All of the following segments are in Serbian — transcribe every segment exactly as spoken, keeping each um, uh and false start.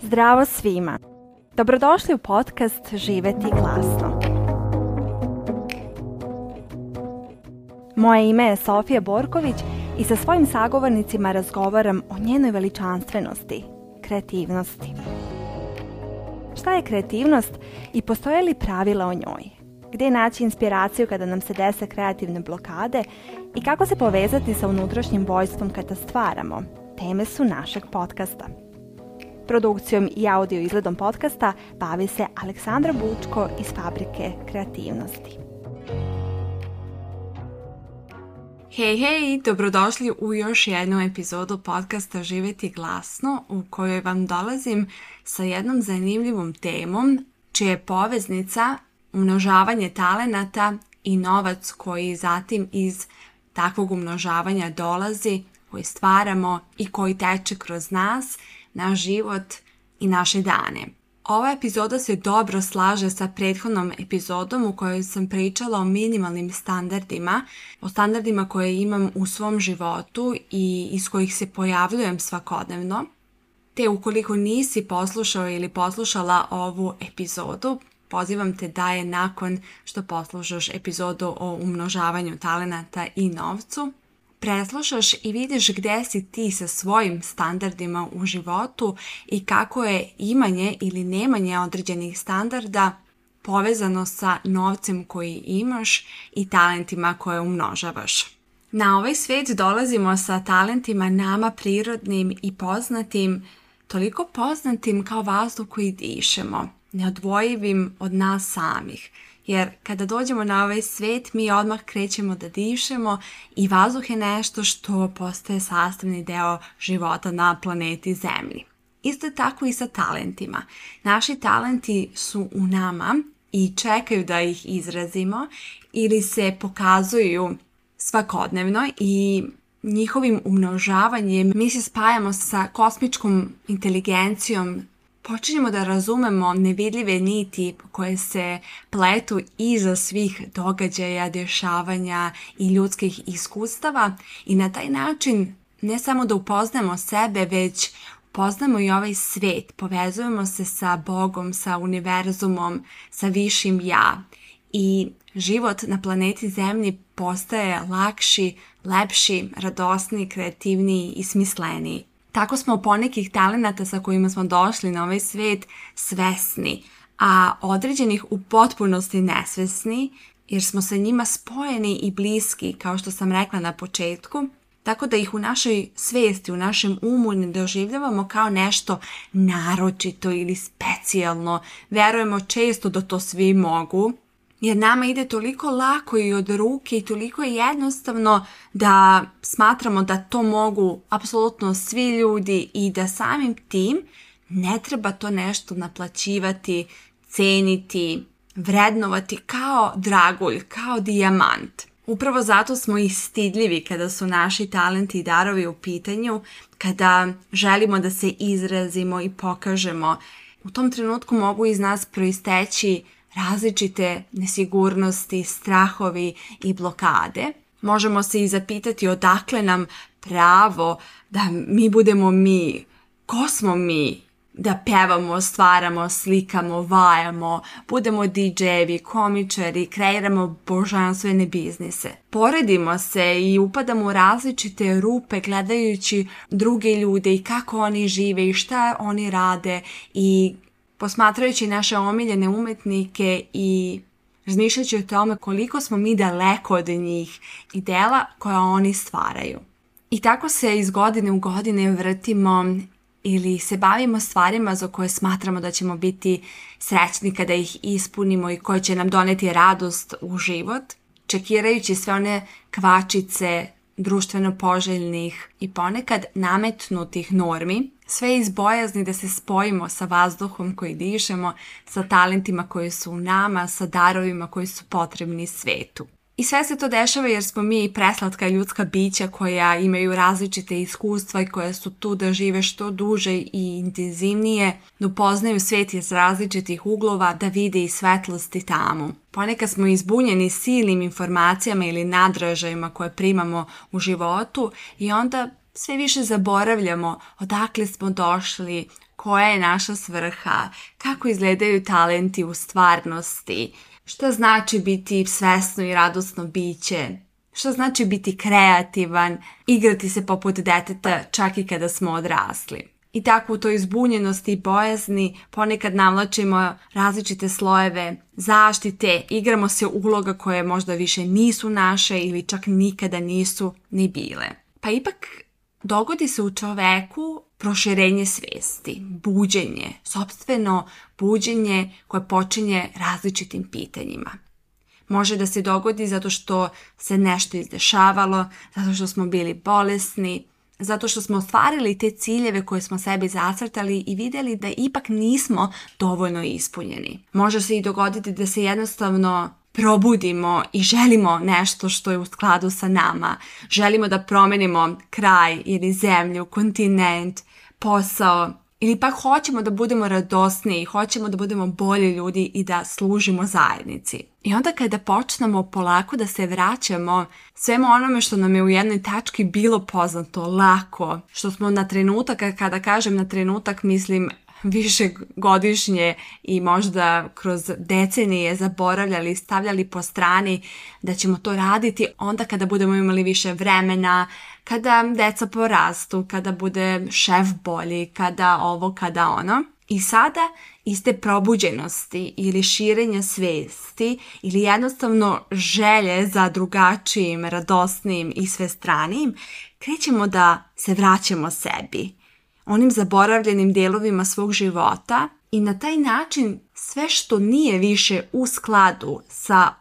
Zdravo svima! Dobrodošli u podcast Živjeti glasno. Moje ime je Sofija Borković i sa svojim sagovornicima razgovaram o njenoj veličanstvenosti, kreativnosti. Šta je kreativnost i postoje li pravila o njoj? Gdje naći inspiraciju kada nam se dese kreativne blokade i kako se povezati sa unutrašnjim vojstvom kada stvaramo? Teme su našeg podcasta. Produkcijom i audio izgledom podcasta bavi se Aleksandra Bučko iz Fabrike kreativnosti. Hej, hej, dobrodošli u još jednu epizodu podcasta Živjeti glasno, u kojoj vam dolazim sa jednom zanimljivom temom, čija je poveznica umnožavanje talenata i novac koji zatim iz takvog umnožavanja dolazi, koji stvaramo i koji teče kroz nas, naš život i naše dane. Ova epizoda se dobro slaže sa prethodnom epizodom u kojoj sam pričala o minimalnim standardima, o standardima koje imam u svom životu i iz kojih se pojavljujem svakodnevno. Te ukoliko nisi poslušao ili poslušala ovu epizodu, pozivam te da je nakon što poslušaš epizodu o umnožavanju talenata i novcu, preslušaš i vidiš gdje si ti sa svojim standardima u životu i kako je imanje ili nemanje određenih standarda povezano sa novcem koji imaš i talentima koje umnožavaš. Na ovaj svijet dolazimo sa talentima nama prirodnim i poznatim, toliko poznatim kao vazduh koji dišemo, neodvojivim od nas samih. Jer kada dođemo na ovaj svijet, mi odmah krećemo da dišemo i vazduh je nešto što postaje sastavni deo života na planeti Zemlji. Isto je tako i sa talentima. Naši talenti su u nama i čekaju da ih izrazimo ili se pokazuju svakodnevno i njihovim umnožavanjem mi se spajamo sa kosmičkom inteligencijom. Počinjemo da razumemo nevidljive niti koje se pletu iza svih događaja, dešavanja i ljudskih iskustava i na taj način ne samo da upoznamo sebe, već upoznamo i ovaj svijet, povezujemo se sa Bogom, sa univerzumom, sa višim ja i život na planeti Zemlji postaje lakši, lepši, radosniji, kreativniji i smisleniji. Tako smo ponekih talenata sa kojima smo došli na ovaj svijet svesni, a određenih u potpunosti nesvesni, jer smo sa njima spojeni i bliski, kao što sam rekla na početku, tako da ih u našoj svijesti, u našem umu ne doživljavamo kao nešto naročito ili specijalno. Verujemo često da to svi mogu, jer nama ide toliko lako i od ruke i toliko je jednostavno da smatramo da to mogu apsolutno svi ljudi i da samim tim ne treba to nešto naplaćivati, ceniti, vrednovati kao dragulj, kao dijamant. Upravo zato smo i stidljivi kada su naši talenti i darovi u pitanju, kada želimo da se izrazimo i pokažemo. U tom trenutku mogu iz nas proisteći različite nesigurnosti, strahovi i blokade. Možemo se i zapitati odakle nam pravo da mi budemo mi, ko smo mi, da pevamo, stvaramo, slikamo, vajamo, budemo di džejevi, komičari, kreiramo božanstvene biznise. Poredimo se i upadamo u različite rupe gledajući druge ljude i kako oni žive i šta oni rade i posmatrajući naše omiljene umetnike i razmišljajući o tome koliko smo mi daleko od njih i dela koja oni stvaraju. I tako se iz godine u godine vrtimo ili se bavimo stvarima za koje smatramo da ćemo biti srećni kada ih ispunimo i koje će nam doneti radost u život, čekirajući sve one kvačice društveno poželjnih i ponekad nametnutih normi, sve iz bojazni da se spojimo sa vazduhom koji dišemo, sa talentima koji su u nama, sa darovima koji su potrebni svetu. I sve se to dešava jer smo mi preslatka ljudska bića koja imaju različite iskustva i koja su tu da žive što duže i intenzivnije, da upoznaju svijet iz različitih uglova, da vide i svetlosti tamo. Ponekad smo izbunjeni silnim informacijama ili nadražajima koje primamo u životu i onda sve više zaboravljamo odakle smo došli, koja je naša svrha, kako izgledaju talenti u stvarnosti, šta znači biti svesno i radosno biće, šta znači biti kreativan, igrati se poput deteta čak i kada smo odrasli. I tako u toj zbunjenosti i bojazni ponekad navlačimo različite slojeve zaštite, igramo se uloga koje možda više nisu naše ili čak nikada nisu ni bile. Pa ipak dogodi se u čoveku proširenje svesti, buđenje, sopstveno buđenje koje počinje različitim pitanjima. Može da se dogodi zato što se nešto izdešavalo, zato što smo bili bolesni, zato što smo ostvarili te ciljeve koje smo sebi zacrtali i vidjeli da ipak nismo dovoljno ispunjeni. Može se i dogoditi da se jednostavno probudimo i želimo nešto što je u skladu sa nama. Želimo da promenimo kraj ili zemlju, kontinent, posao, ili pak hoćemo da budemo radosniji, hoćemo da budemo bolji ljudi i da služimo zajednici. I onda kada počnemo polako da se vraćamo svemu onome što nam je u jednoj tački bilo poznato, lako, što smo na trenutak, kada kažem na trenutak mislim više godišnje i možda kroz decenije zaboravljali, stavljali po strani da ćemo to raditi onda kada budemo imali više vremena, kada deca porastu, kada bude šef bolji, kada ovo, kada ono. I sada iz te probuđenosti ili širenja svesti ili jednostavno želje za drugačijim, radosnijim i svestranijim, krećemo da se vraćamo sebi, onim zaboravljenim dijelovima svog života i na taj način sve što nije više u skladu sa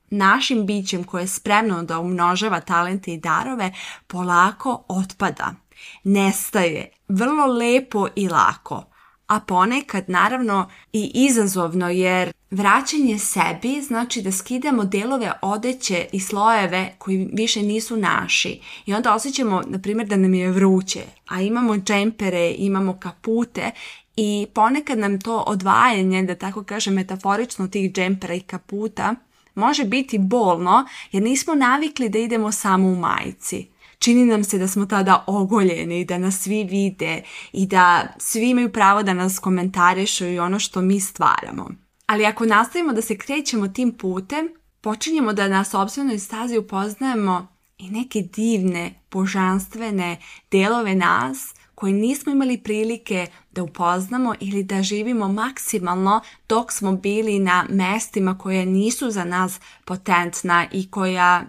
našim bićem koje je spremno da umnožava talente i darove, polako otpada, nestaje, vrlo lepo i lako. A ponekad naravno i izazovno jer vraćanje sebi znači da skidamo delove odeće i slojeve koji više nisu naši. I onda osjećamo, na primjer, da nam je vruće, a imamo džempere, imamo kapute i ponekad nam to odvajanje, da tako kažem metaforično, tih džempera i kaputa može biti bolno jer nismo navikli da idemo samo u majici. Čini nam se da smo tada ogoljeni, da nas svi vide i da svi imaju pravo da nas komentarišu i ono što mi stvaramo. Ali ako nastavimo da se krećemo tim putem, počinjemo da na sopstvenoj stazi upoznajemo i neke divne, božanstvene delove nas koje nismo imali prilike da upoznamo ili da živimo maksimalno dok smo bili na mestima koje nisu za nas potentna i koja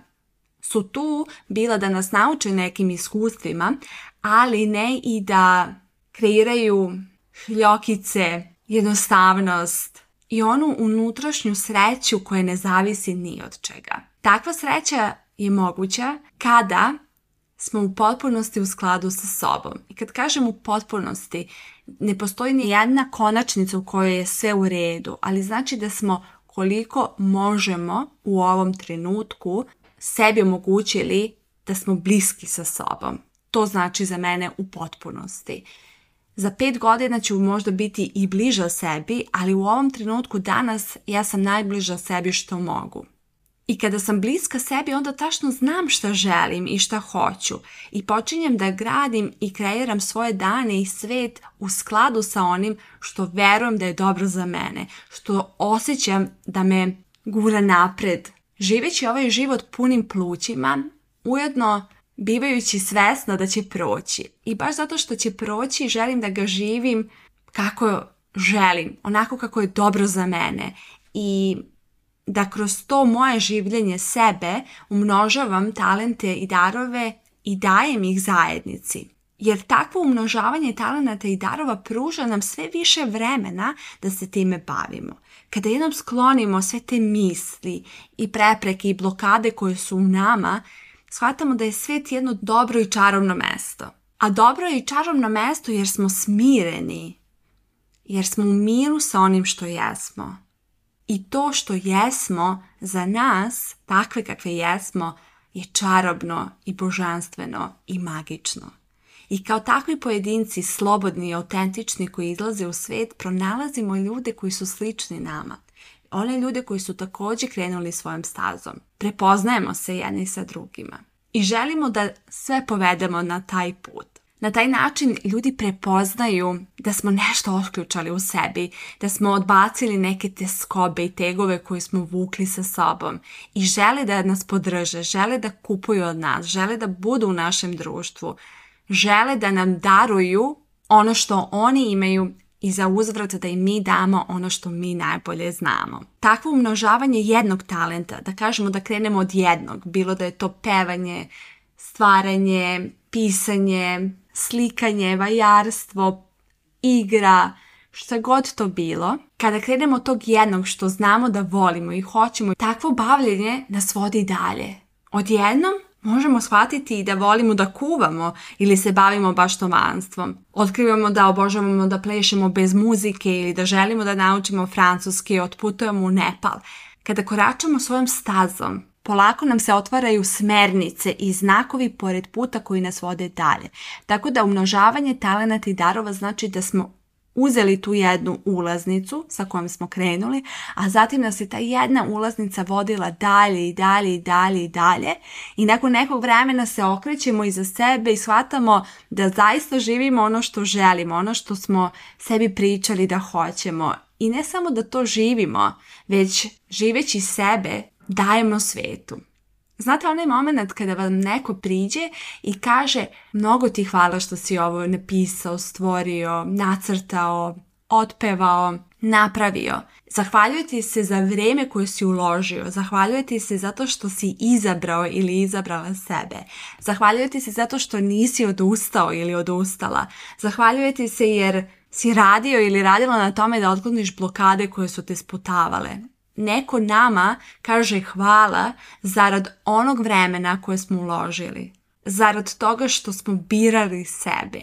su tu bila da nas nauče nekim iskustvima, ali ne i da kreiraju hljokice, jednostavnost i onu unutrašnju sreću koja ne zavisi ni od čega. Takva sreća je moguća kada smo u potpunosti u skladu sa sobom. I kad kažem u potpunosti, ne postoji ni jedna konačnica u kojoj je sve u redu, ali znači da smo koliko možemo u ovom trenutku sebi omogućili da smo bliski sa sobom. To znači za mene u potpunosti. Za pet godina ću možda biti i bliža sebi, ali u ovom trenutku danas ja sam najbliža sebi što mogu. I kada sam bliska sebi, onda tačno znam šta želim i šta hoću. I počinjem da gradim i kreiram svoje dane i svet u skladu sa onim što verujem da je dobro za mene, što osjećam da me gura napred. Živeći ovaj život punim plućima, ujedno bivajući svesna da će proći. I baš zato što će proći, želim da ga živim kako želim, onako kako je dobro za mene. I da kroz to moje življenje sebe umnožavam talente i darove i dajem ih zajednici. Jer takvo umnožavanje talenata i darova pruža nam sve više vremena da se time bavimo. Kada jednom sklonimo sve te misli i prepreke i blokade koje su u nama, shvatamo da je svet jedno dobro i čarobno mesto. A dobro je i čarobno mesto jer smo smireni, jer smo u miru sa onim što jesmo. I to što jesmo za nas, takve kakve jesmo, je čarobno i božanstveno i magično. I kao takvi pojedinci, slobodni i autentični koji izlaze u svet, pronalazimo ljude koji su slični nama. One ljude koji su također krenuli svojom stazom. Prepoznajemo se jedni sa drugima. i želimo da sve povedemo na taj put. Na taj način ljudi prepoznaju da smo nešto otključali u sebi, da smo odbacili neke tjeskobe i tegove koje smo vukli sa sobom i žele da nas podrže, žele da kupuju od nas, žele da budu u našem društvu, žele da nam daruju ono što oni imaju i za uzvrat da im mi damo ono što mi najbolje znamo. Takvo umnožavanje jednog talenta, da kažemo da krenemo od jednog, bilo da je to pevanje, stvaranje, pisanje, slikanje, vajarstvo, igra, šta god to bilo. Kada krenemo od tog jednog što znamo da volimo i hoćemo, takvo bavljenje nas vodi dalje. Odjednom možemo shvatiti da volimo da kuvamo ili se bavimo baštovanstvom. Otkrivamo da obožavamo da plešemo bez muzike ili da želimo da naučimo francuski i otputujemo u Nepal. Kada koračamo svojom stazom, polako nam se otvaraju smernice i znakovi pored puta koji nas vode dalje. Tako da umnožavanje talenata i darova znači da smo uzeli tu jednu ulaznicu sa kojom smo krenuli, a zatim nas je ta jedna ulaznica vodila dalje i dalje i dalje i dalje i nakon nekog vremena se okrećemo iza sebe i shvatamo da zaista živimo ono što želimo, ono što smo sebi pričali da hoćemo. I ne samo da to živimo, već živeći sebe dajemo svetu. Znate onaj moment kada vam neko priđe i kaže mnogo ti hvala što si ovo napisao, stvorio, nacrtao, otpevao, napravio. Zahvaljujete se za vrijeme koje si uložio. Zahvaljujete se zato što si izabrao ili izabrala sebe. Zahvaljujete se zato što nisi odustao ili odustala. Zahvaljujete se jer si radio ili radila na tome da otkloniš blokade koje su te sputavale. Neko nama kaže hvala zarad onog vremena koje smo uložili, zarad toga što smo birali sebe,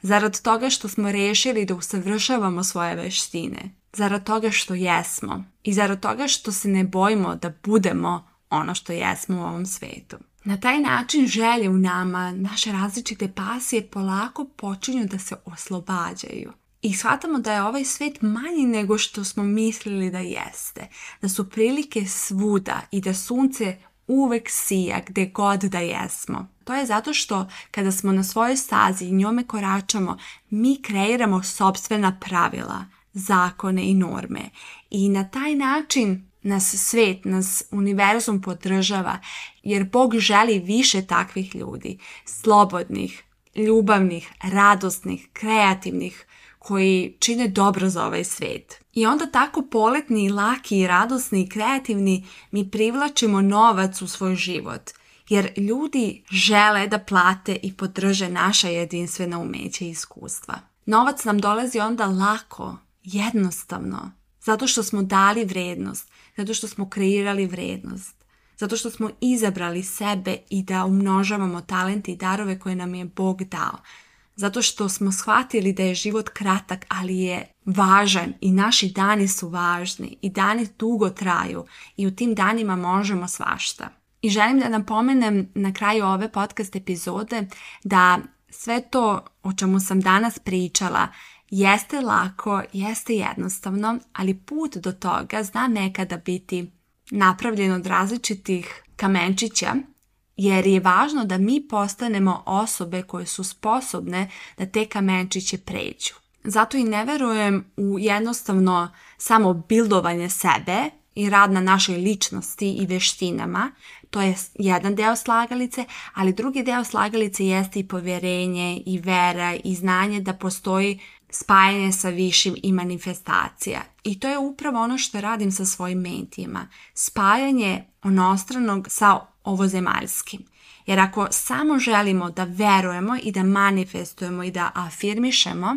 zarad toga što smo rešili da usavršavamo svoje veštine, zarad toga što jesmo i zarad toga što se ne bojimo da budemo ono što jesmo u ovom svetu. Na taj način želje u nama, naše različite pasije polako počinju da se oslobađaju. I shvatamo da je ovaj svet manji nego što smo mislili da jeste. Da su prilike svuda i da sunce uvek sija gde god da jesmo. To je zato što kada smo na svojoj stazi i njome koračamo, mi kreiramo sopstvena pravila, zakone i norme. I na taj način nas svet, nas univerzum podržava, jer Bog želi više takvih ljudi, slobodnih, ljubavnih, radosnih, kreativnih, koji čine dobro za ovaj svet. I onda tako poletni, laki, radosni i kreativni mi privlačimo novac u svoj život, jer ljudi žele da plate i podrže naša jedinstvena umeća i iskustva. Novac nam dolazi onda lako, jednostavno, zato što smo dali vrednost, zato što smo kreirali vrednost, zato što smo izabrali sebe i da umnožavamo talente i darove koje nam je Bog dao. Zato što smo shvatili da je život kratak, ali je važan i naši dani su važni i dani dugo traju i u tim danima možemo svašta. I želim da napomenem na kraju ove podcast epizode da sve to o čemu sam danas pričala jeste lako, jeste jednostavno, ali put do toga zna nekada biti napravljen od različitih kamenčića, jer je važno da mi postanemo osobe koje su sposobne da te kamenčiće pređu. Zato i ne verujem u jednostavno samo bildovanje sebe i rad na našoj ličnosti i veštinama. To je jedan deo slagalice, ali drugi deo slagalice jeste i povjerenje i vera i znanje da postoji spajanje sa višim i manifestacija. I to je upravo ono što radim sa svojim mentijima. Spajanje onostranog sa ovozemaljskim. Jer ako samo želimo da verujemo i da manifestujemo i da afirmišemo,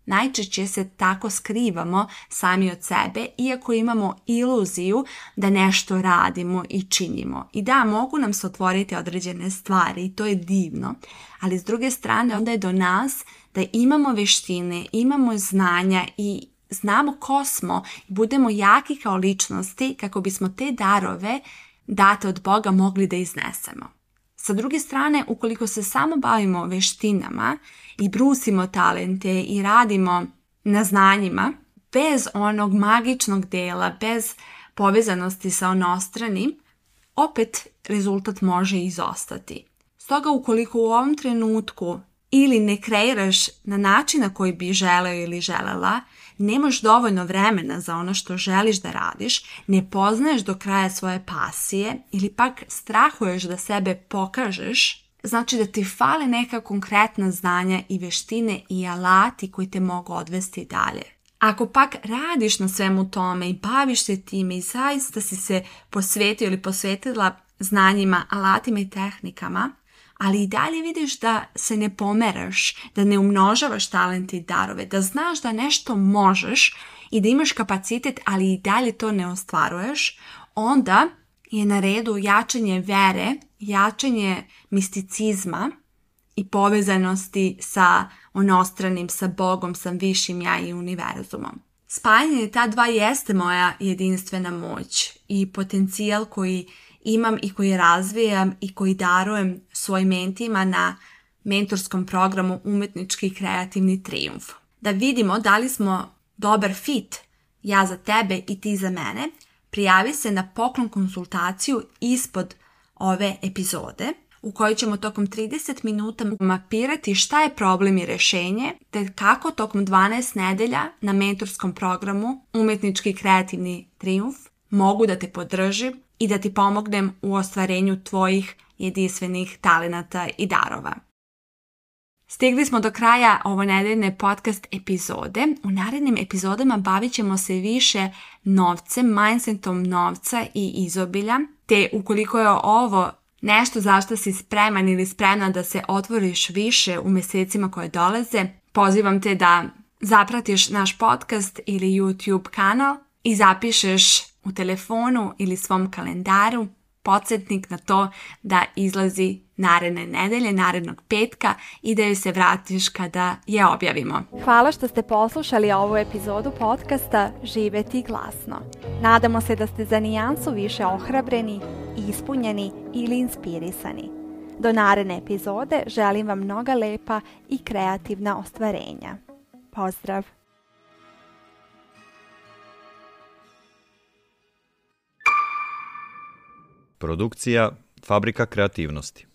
najčešće se tako skrivamo sami od sebe, iako imamo iluziju da nešto radimo i činimo. I da, mogu nam se otvoriti određene stvari i to je divno, ali s druge strane onda je do nas da imamo veštine, imamo znanja i znamo ko smo i budemo jaki kao ličnosti kako bismo te darove date od Boga mogli da iznesemo. Sa druge strane, ukoliko se samo bavimo veštinama i brusimo talente i radimo na znanjima, bez onog magičnog dela, bez povezanosti sa onostranim, opet rezultat može izostati. Stoga ukoliko u ovom trenutku ili ne kreiraš na način na koji bi želeo ili želela, nemaš dovoljno vremena za ono što želiš da radiš, ne poznaješ do kraja svoje pasije ili pak strahuješ da sebe pokažeš, znači da ti fale neka konkretna znanja i veštine i alati koji te mogu odvesti dalje. Ako pak radiš na svemu tome i baviš se time i zaista si se posvetio ili posvetila znanjima, alatima i tehnikama, ali i dalje vidiš da se ne pomeraš, da ne umnožavaš talente i darove, da znaš da nešto možeš i da imaš kapacitet, ali i dalje to ne ostvaruješ, onda je na redu jačanje vere, jačanje misticizma i povezanosti sa onostranim, sa Bogom, sa višim ja i univerzumom. Spajanje ta dva jeste moja jedinstvena moć i potencijal koji imam i koji razvijam i koji darujem svojim mentima na mentorskom programu Umetnički i kreativni trijumf. Da vidimo da li smo dobar fit, ja za tebe i ti za mene, prijavi se na poklon konsultaciju ispod ove epizode u kojoj ćemo tokom trideset minuta mapirati šta je problem i rješenje, te kako tokom dvanaest nedelja na mentorskom programu Umetnički i kreativni trijumf mogu da te podržim i da ti pomognem u ostvarenju tvojih jedinstvenih talenata i darova. Stigli smo do kraja ovo nedeljne podcast epizode. U narednim epizodama bavit ćemo se više novcem, mindsetom novca i izobilja, te ukoliko je ovo nešto zašto si spreman ili spremna da se otvoriš više u mjesecima koje dolaze, pozivam te da zapratiš naš podcast ili YouTube kanal i zapišeš u telefonu ili svom kalendaru podsjetnik na to da izlazi naredne nedelje, narednog petka i da joj se vratiš kada je objavimo. Hvala što ste poslušali ovu epizodu podcasta Živeti glasno. Nadamo se da ste za nijansu više ohrabreni, ispunjeni ili inspirisani. Do naredne epizode želim vam mnoga lepa i kreativna ostvarenja. Pozdrav! Produkcija Fabrika kreativnosti.